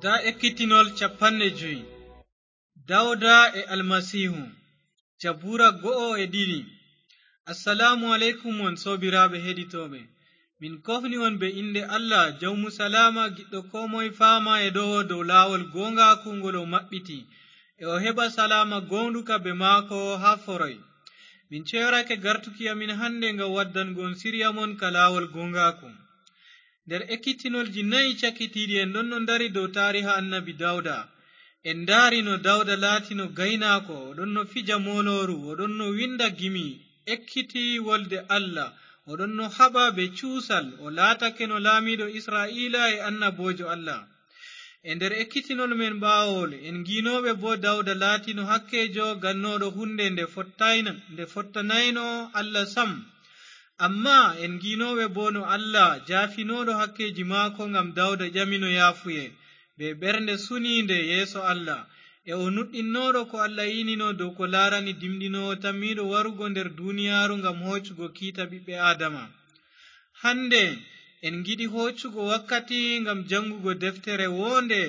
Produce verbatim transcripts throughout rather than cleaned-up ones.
Ndaa ekkitinol capanɗe jowi. Dawda e Almasiihu. Jabuura go'o e ɗiɗi. Assalaamu aleykum, on soobiraaɓe heɗitooɓe. Min kofni on be innde Allah, Jawmu Salaama, giɗɗo koo moy faama e ɗowo dow laawol gooŋgaaku ngol o maɓɓiti, e o heɓa salaama gooŋɗuka be maako haa foroy. Min ceyorake gartuki amin hande ngam waddango on sirya mon ka laawol gooŋgaaku. Nder ekkitinolji nayi cakitiiɗi, en ɗonno ndari dow taariha annabi Dawda. En ndaari no Dawda laatino gaynaako, o ɗonno fija moolooru, o ɗonno winda gimi, ekkiti wolde Allah, o ɗonno haɓa be cuusal, o laatakeno laamiiɗo Isra'iila e annaboojo Allah. E nder ekkitinol men ɓaawol, en ngiinooɓe boo Dawda laatino hakkeejo gannooɗo huunde nde fottayna-, nde fottanayno Allah sam. Ammaa en ngiinooɓe boo no Allah jaafinooɗo hakkeeji maako ngam Dawda ƴamino yaafuye, be ɓernde suniinde yeeso Allah, e o nuɗɗinnooɗo ko Allah iinino dow ko laarani dimɗinoowo tammiiɗo warugo nder duuniyaaru ngam hoocugo kiita ɓiɓɓe Aadama. Hande, en ngiɗi hoocugo wakkati ngam janngugo deftere woonde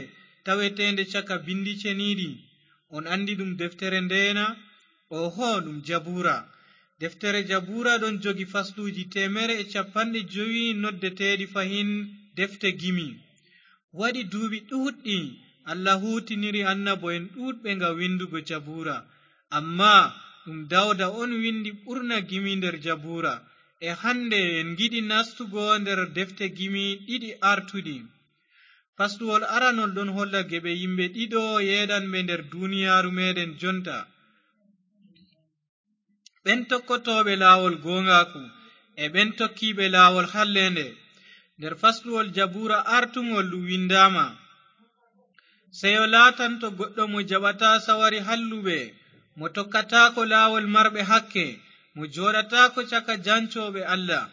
taweteende caka bindi ceniiɗi. On anndi ɗum deftere ndeye na? Oho, ɗum Jabuura. Deftere Jabuura ɗon jogi fasluuji teemeɗɗe e capanɗe jowi noddeteeɗi fahin defte gimi. Waɗi duuɓi ɗuuɗɗi Allah huutiniri annabo'en ɗuuɗɓe ngam windugo Jabuura. Ammaa ɗum Dawda on windi ɓurna gimi nder Jabuura. E hande en ngiɗi nastugo nder defte gimi ɗiɗi artuɗi. Fasluwol aranol ɗon holla geɓe yimɓe ɗiɗo yeeɗanɓe nder duuniyaaru meɗen jonta. Ɓen tokkotooɓe laawol gooŋgaaku e ɓen tokkiiɓe laawol halleende. Nder fasluwol Jabuura artuŋol ɗum windaama, seyo laatanto goɗɗo mo jaɓataa sawari halluɓe, mo tokkataako laawol marɓe hakke, mo jooɗataako caka jancooɓe Allah.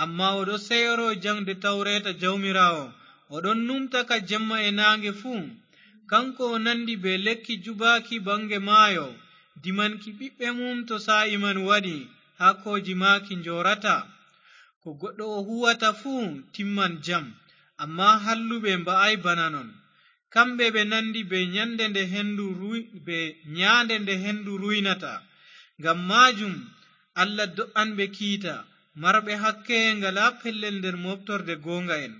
Ammaa o ɗo seyoro jaŋde tawreeta Jawmiraawo, o ɗon numta ka jemma e naange fuu. Kanko o nandi bee lekki jubaaki baŋge maayo, dimanki ɓiɓɓe mum to saa'i man waɗi, haakooji maaki njoorata. Ko goɗɗo o huuwata fuu timman jam, ammaa halluɓe mba'ay bana non. Kamɓe ɓe nandi bee nyande nde hendu ruy-, bee nyaande nde hendu ruynata. Ngam maajum Allah do'an ɓe kiita, marɓe hakke ngalaa pellel nder mooɓtorde gooŋga'en.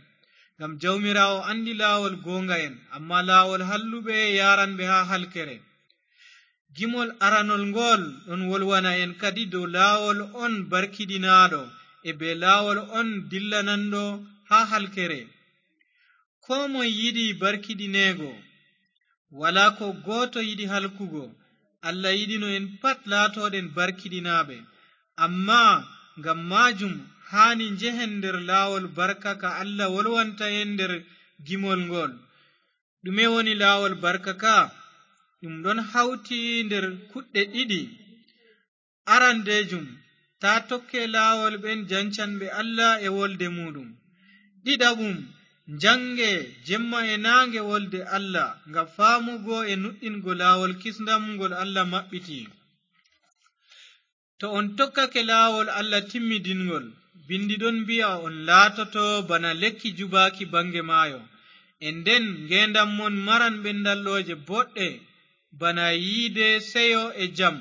Ngam Jawmiraawo anndi laawol gooŋga'en, ammaa laawol halluɓe yaaran ɓe haa halkere. Gimol aranol ngool ɗon wolwana en kadi dow laawol on barkiɗinaaɗo e bee laawol on dillananɗo haa halkere. Koo moy yiɗi barkiɗineego, walaa koo gooto yiɗi halkugo. Allah yiɗino en pat laatooɗen barkiɗinaaɓe. Ammaa ngam maajum haani njehen nder laawol barka ka Allah wolwanta en nder gimol ngool. Ɗume woni laawol barka ka? Ɗum ɗon hawti nder kuɗɗe ɗiɗi. Arandeejum, taa tokke laawol ɓen jancanɓe Allah e wolde muuɗum. Ɗiɗaɓum, njange jemma e naange wolde Allah, ngam faamugo e nuɗɗingo laawol kisndam ngol Allah maɓɓiti. To on tokkake laawol Allah timmidinngol, bindi ɗon mbi'a on laatoto bana lekki jubaaki baŋge maayo. E nden ngeendam mon maran ɓendallooje boɗɗe, bana yiide, seyo e jam.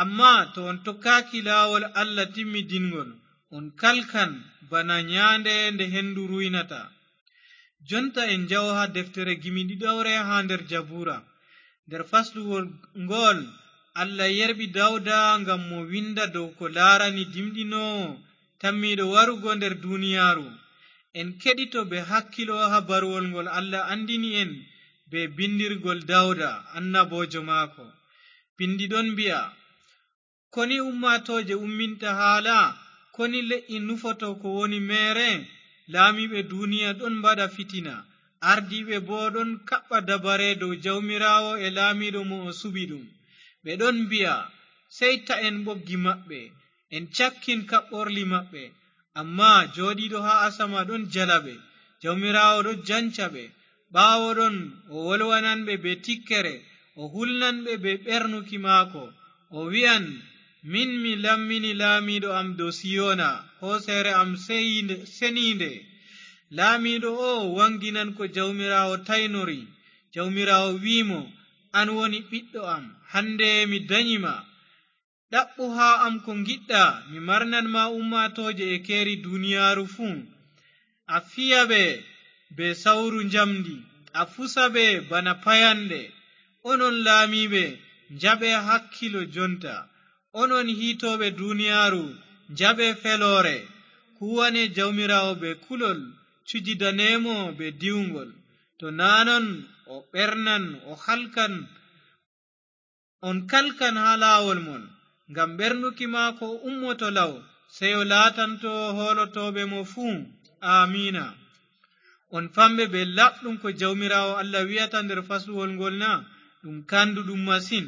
Ammaa to on tokkaaki laawol Allah timmidinngol, on kalkan bana nyaande nde hendu ruynata. Jonta en njaho haa deftere gimi ɗiɗawre haa nder Jabuura. Nder fasluwol ngool, Allah yerɓi Dawda ngam mo winda dow ko laarani dimɗinoowo tammiiɗo warugo nder duuniyaaru. En keɗito bee hakkilo habaruwol ngol Allah anndini en bee bindirgol Dawda, annaboojo maako. Bindi ɗon mbi'a, Koni ummaatooje umminta haala? Koni le'i nufoto ko woni meere? Laamiiɓe duniya ɗon mbaɗa fitina, ardiiɓe boo ɗon kaɓɓa dabare dow Jawmiraawo e laamiiɗo mo o suɓi ɗum. Ɓe ɗon mbi'a, sey ta'en ɓoggi maɓɓe, en cakkin kaɓɓorli maɓɓe. Ammaa jooɗiiɗo haa asama ɗon jala ɓe, Jawmiraawo ɗon janca ɓe. Ɓaawo ɗon o wolwanan ɓe bee tikkere, o hulnan ɓe bee ɓernuki maako. O wi'an, min mi lammini laamiiɗo am dow Siyona, hooseere am seyinde-, seniinde. Laamiiɗo o waŋginan ko Jawmiraawo taynori. Jawmiraawo wi'i mo, "An woni ɓiɗɗo am, hannde mi danyi ma. Ɗaɓɓu haa am ko ngiɗɗa, mi marnan ma ummaatooje e keeri duniyaaru fuu. A fiya ɓe bee sawru njamndi, a fusa ɓe bana payanɗe. Onon laamiiɓe, njaɓe hakkilo jonta. Onon hiitooɓe duniyaaru, njaɓe feloore. Kuwane Jawmiraawo bee kulol, cujidane mo bee diwŋgol. To naa non, o ɓernan, o halkan, on kalkan haa laawol mon, ngam ɓernuki maako ummoto law, sey o laatanto hoolotooɓe mo fuu." Aamiina. On famɓe bee laaɓɗum ko Jawmiraawo Allah wi'ata nder fasluwol ngol na? Ɗum kanduɗum masin.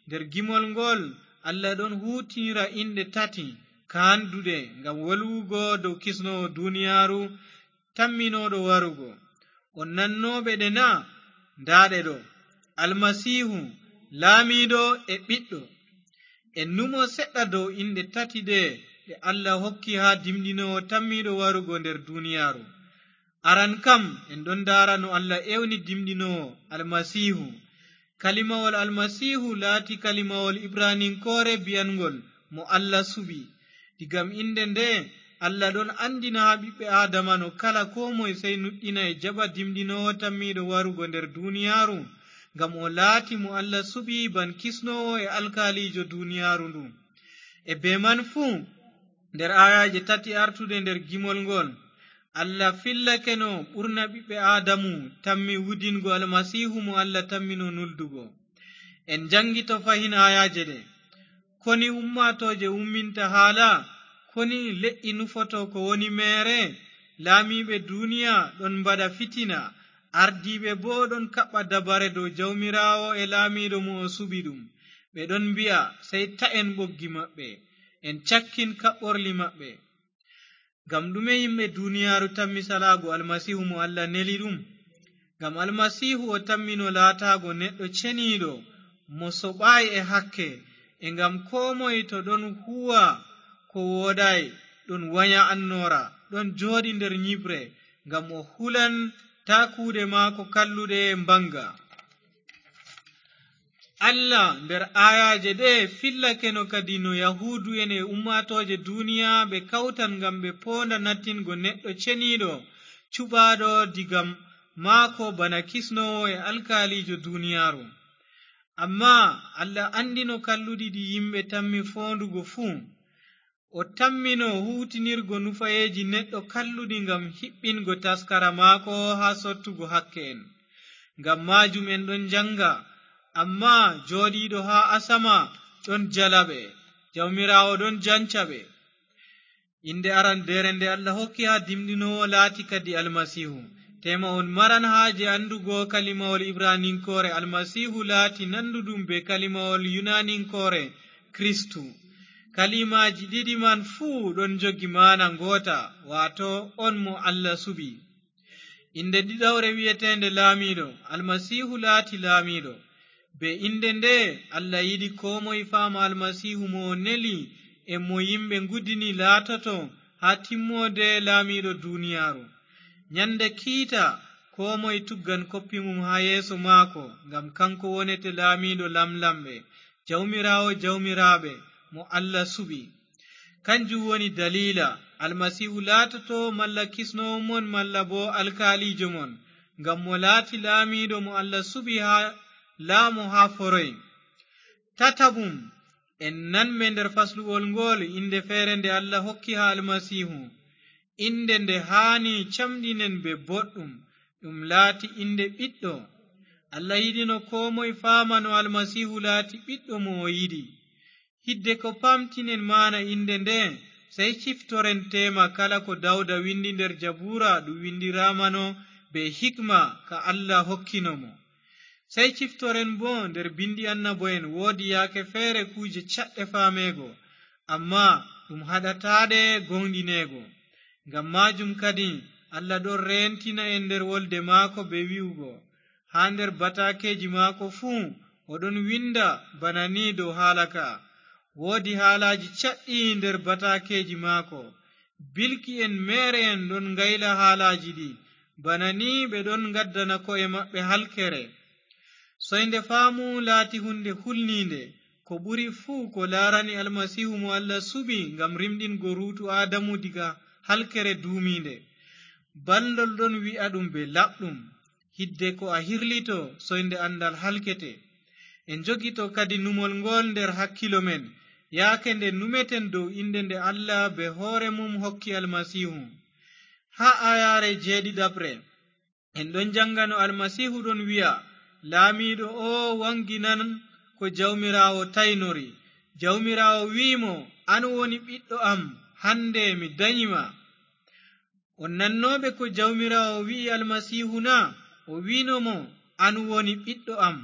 Nder gimol ngol, Allah ɗon huuwtinira inɗe tati kanduɗe ngam wolwugo dow kisnoowo duniyaaru tamminooɗo warugo. On nannooɓe ɗe na? Ndaa ɗe ɗo, Almasiihu, Laamiiɗo e Ɓiɗɗo. En numo seɗɗa dow inɗe tati ɗe ɗe Allah hokki haa dimɗinoowo tammiiɗo warugo nder duniyaaru. Aran kam, en ɗon ndaara no Allah ewni dimɗinoowo Almasiihu. Kalimawol Almasiihu laati kalimawol Ibraninkoore bi'anŋgol mo Allah suɓi. Digam innde nde, Allah ɗon anndina haa ɓiɓɓe Aadama no kala koo moy sey nuɗɗina e jaɓa dimɗinoowo tammiiɗo warugo nder duniyaaru, ngam o laati mo Allah suɓi ban kisnoowo e alkaaliijo duniyaaru ndu. E bee man fuu, nder aayaaje tati artuɗe nder gimol ngol, Allah fillake no ɓurna ɓiɓɓe Aadamu tammi wudingo Almasiihu mo Allah tammino nuldugo. En njaŋgito fahin aayaaje ɗe. Koni ummaatooje umminta haala? Koni le'i nufoto ko woni meere? Laamiiɓe duniya ɗon mbaɗa fitina, ardiiɓe boo ɗon kaɓɓa dabare dow Jawmiraawo e Laamiiɗo mo o suɓi ɗum. Ɓe ɗon mbi'a, "Sey ta'en ɓoggi maɓɓe, en cakkin kaɓɓorli maɓɓe." Ngam ɗume yimɓe duniyaaru tammi salaago Almasiihu mo Allah neli ɗum? Ngam Almasiihu o tammino laataago neɗɗo ceniiɗo mo soɓaay e hakke, e ngam koo moy to ɗon huuwa ko wooɗaay, ɗon wanya annoora, ɗon jooɗi nder nyiɓre, ngam o hulan taa kuuɗe maako kalluɗe mbaŋga. Allah nder aayaaje ɗe fillakeno kadi no Yahuudu'en e ummaatooje duniya ɓe kawtan ngam ɓe poonda nattingo neɗɗo ceniiɗo cuɓaaɗo diga maako bana kisnoowo e alkaaliijo duniyaaru. Ammaa Allah anndino kalluɗi ɗi yimɓe tammi foondugo fuu. O tammino huuwtinirgo nufayeeji neɗɗo kalluɗi ngam hiɓɓingo taskara maako haa sottugo hakke'en. Ngam maajum en ɗon njaŋga, ammaa jooɗiiɗo haa asama ɗon jala ɓe, Jawmiraawo ɗon janca ɓe. Innde arandeere nde Allah hokki haa dimɗinoowo laati kadi Almasiihu. Teema on maran haaje anndugo kalimawol Ibraninkoore Almasiihu laati nanduɗum bee kalimawol Yunaninkoore Kristu. Kalimaaji ɗiɗi man fuu ɗon njogi maana ngoota, waato on mo Allah suɓi. Innde ɗiɗawre wi'eteende Laamiiɗo, Almasiihu laati Laamiiɗo. Bee innde nde, Allah yiɗi koo moy faama Almasiihu mo o neli e mo yimɓe ngudini laatoto haa timmoode laamiiɗo duniyaaru. Nyande kiita, koo moy tuggan koppi mum haa yeeso maako, ngam kanko wonete Laamiiɗo lamlamɓe, Jawmiraawo jawmiraaɓe, mo Allah suɓi. Kanjum woni daliila Almasiihu laatoto malla kisnoowo mon malla boo alkaaliijo mon, ngam mo laati laamiiɗo mo Allah suɓi haa laamo haa foroy. Tataɓum, en nanme nder fasluwol ngool innde feere nde Allah hokki haa Almasiihu, innde nde haani camɗinen bee boɗɗum, ɗum laati innde Ɓiɗɗo. Allah yiɗino koo moy faama no Almasiihu laati Ɓiɗɗo mo o yiɗi. Hidde ko paamtinen maana innde nde, sey ciftoren teema kala ko Dawda windi nder Jabuura, ɗum windiraamano bee hikma ka Allah hokkino mo. Sey ciftoren boo nder bindi annabo'en woodi yaake feere kuuje caɗɗe faameego, ammaa ɗum haɗataɗe gooŋɗineego. Ngam maajum kadi Allah ɗon reentina en nder wolde maako bee wi'ugo, haa nder bataakeeji maako fuu o ɗon winda bana ni dow haala ka'a. Woodi haalaaji caɗɗi nder bataakeeji maako, Bilki en meere en ɗon ngayla haalaaji ɗi, bana ni ɓe ɗon ngaddana ko'e maɓɓe halkere. Soynde faamu laati huunde hulniinde, ko ɓuri fuu ko laarani Almasiihu mo Allah suɓi ngam rimɗingo ruutu Aadamu diga halkere duumiinde. Balndol ɗon wi'a ɗum bee laaɓɗum, hidde ko a hirlito, soynde anndal halkete. En njogito kadi numol ngool nder hakkilo men, yaake nde numeten dow innde nde Allah bee hoore mum hokki Almasiihu. Haa aayaare jeeɗiɗaɓre, en ɗon jannga no Almasiihu ɗon wi'a, "Laamiiɗo oo waŋginan ko Jawmiraawo taynori." Jawmiraawo wi'i mo, "An woni ɓiɗɗo am, hannde mi danyi ma." On nannooɓe ko Jawmiraawo wi'i Almasiihu na? O wi'no mo, "An woni ɓiɗɗo am."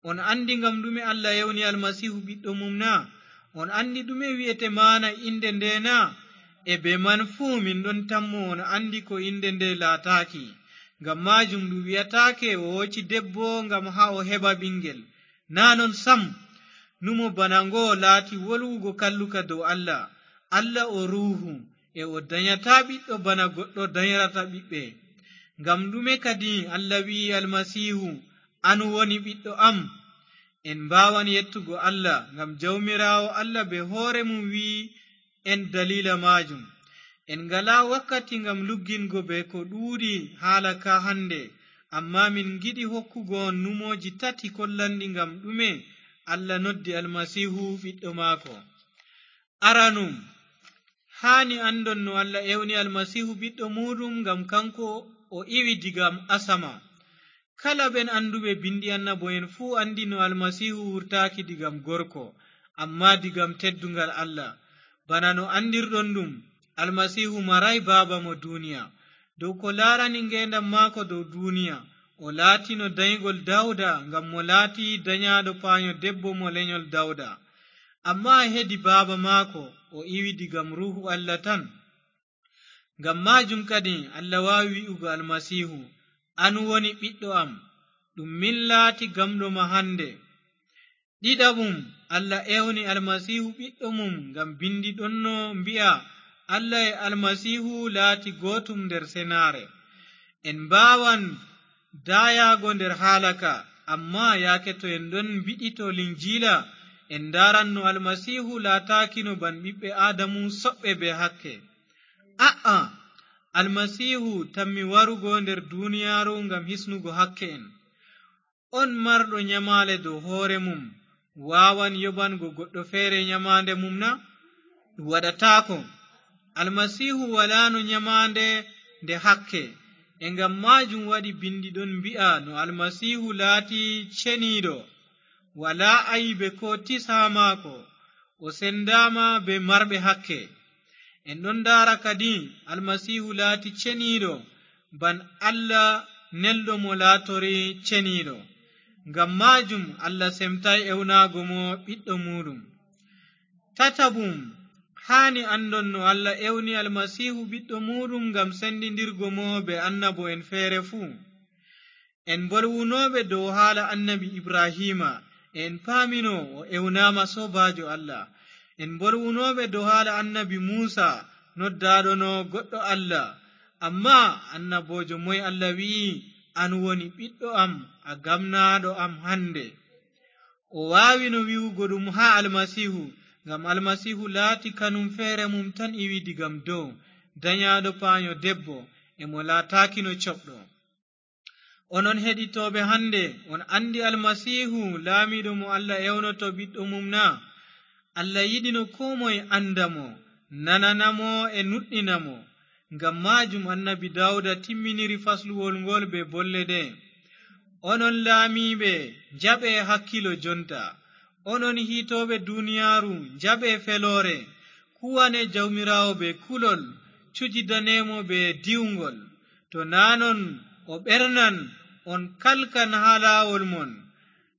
On anndi ngam ɗume Allah ewni Almasiihu ɓiɗɗo mum na? On anndi ɗume wi'ete maana innde nde na? E bee man fuu, min ɗon tammo on anndi ko innde nde laataaki. Ngam maajum ɗum wi'ataake o hooci debbo ngam haa o heɓa ɓiŋngel. Naa non sam, numo bana ngo laati wolwugo kalluka dow Allah. Allah o Ruuhu, e o danyataa ɓiɗɗo bana goɗɗo danyata ɓiɓɓe. Ngam ɗume kadi Allah wi'i Almasiihu, "An woni ɓiɗɗo am"? En mbaawan yettugo Allah, ngam Jawmiraawo Allah bee hoore mum wi'i en daliila maajum. En ngalaa wakkati ngam luggingo bee ko ɗuuɗi haala ka hannde, ammaa min ngiɗi hokkugo on numooji tati kollanɗi ngam ɗume Allah noddi Almasiihu ɓiɗɗo maako. Aranum, haani anndon no Allah ewni Almasiihu ɓiɗɗo muuɗum ngam kanko o iwi diga asama. Kala ɓen annduɓe binndi annabo'en fuu anndi no Almasiihu wurtaaki digam gorko, ammaa digam teddungal Allah. Bana no anndirɗon ɗum, Almasiihu maraay baaba mo duniya. Dow ko laarani ngeendam maako dow duniya, o laatino danygol Dawda ngam mo laati danyaaɗo paanyo debbo mo lenyol Dawda. Ammaa hedi baaba maako, o iwi digam Ruuhu Allah tan. Ngam maajum kadi Allah waawi wi'ugo Almasiihu, "An woni ɓiɗɗo am, ɗum min laati gamɗo ma hannde." Ɗiɗaɓum, Allah ewni Almasiihu ɓiɗɗo mum ngam binndi ɗonno mbi'a, "Allah e Almasiihu laati gootum nder senaare." En mbaawan daayaago nder haala ka, ammaa yaake to en ɗon mbiɗito Linjiila, en ndaaran no Almasiihu laataakino ban ɓiɓɓe Aadamu soɓɓe bee hakke. A'a, Almasiihu tammi warugo nder duniyaaru ngam hisnugo hakke'en. On marɗo nyamaale dow hoore mum waawan yoɓango goɗɗo feere nyamaande mum na? Ɗum waɗataako. Almasiihu walaano nyamaande nde hakke. E ngam maajum waɗi binndi ɗon mbi'a no Almasiihu laati ceniiɗo. Walaa aybe koo tis haa maako. O sendaama bee marɓe hakke. En ɗon ndaara kadi Almasiihu laati ceniiɗo, ban Allah nelɗo mo laatori ceniiɗo. Ngam maajum Allah semtaay ewnaago mo ɓiɗɗo muuɗum. Tataɓum, haani anndon no Allah ewni Almasiihu ɓiɗɗo muuɗum ngam sendindirgo mo bee annabo'en feere fuu. En mbolwunooɓe dow haala annabi Ibrahiima, e en paamino o ewnaama soobaajo Allah. En mbolwunooɓe dow haala annabi Muusa, noddaaɗo no goɗɗo Allah. Ammaa annaboojo moy Allah wi'i, "An woni ɓiɗɗo am, a gamnaaɗo am hannde"? O waawino wi'ugo ɗum haa Almasiihu, ngam Almasiihu laati kanum feere mum tan iwi digam dow, danyaaɗo paanyo debbo, e mo laataakino coɓɗo. Onon heɗitooɓe hannde, on anndi Almasiihu, laamiiɗo mo Allah ewnoto ɓiɗɗo mum na? Allah yiɗino koo moye annda mo, nanana mo e nuɗɗina mo. Ngam maajum annabi Daawuda timminiri fasluwol ngol bee bolle ɗe, "Onon laamiiɓe, njaɓe hakkilo jonta. Onon hiitooɓe duniyaaru, njaɓe feloore. Kuwane Jawmiraawo bee kulol, cujidane mo bee diwŋgol. To naa non, o ɓernan, on kalkan haa laawol mon.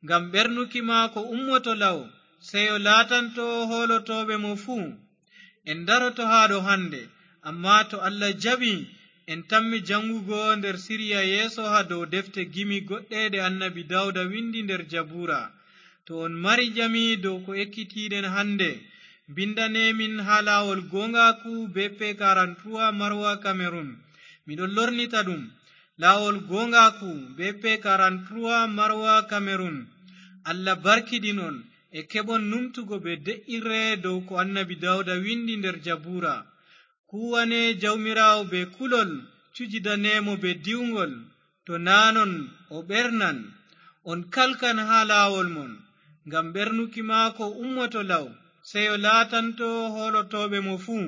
Ngam ɓernuki maako ummoto law, seyo laatanto hoolotooɓe mo fuu." En ndaroto haa ɗo hannde, ammaa to Allah jaɓi, en tammi jaŋgugo nder siriya yeeso haa dow defte gimi goɗɗe ɗe annabi Daawuda windi nder Jabuura. To on mari ƴami dow ko ekkitiiɗen hannde, Mbindanee min haa laawol gooŋgaaku B P quarante-trois Marwa Cameroun. Miɗo lornita ɗum. Laawol gooŋgaaku B P quarante-trois Marwa Cameroun. Allah barkiɗin on e keɓon numtugo bee de'irre dow ko Annabi Daawuda windi nder Jabuura. Kuwanee Jawmiraawo bee kulol, cujidanee mo bee diwŋgol. To naa non, o ɓernan. On kalkan haa laawol mon, ngam ɓernuki maako ummoto law, seyo laatanto hoolotooɓe mo fuu.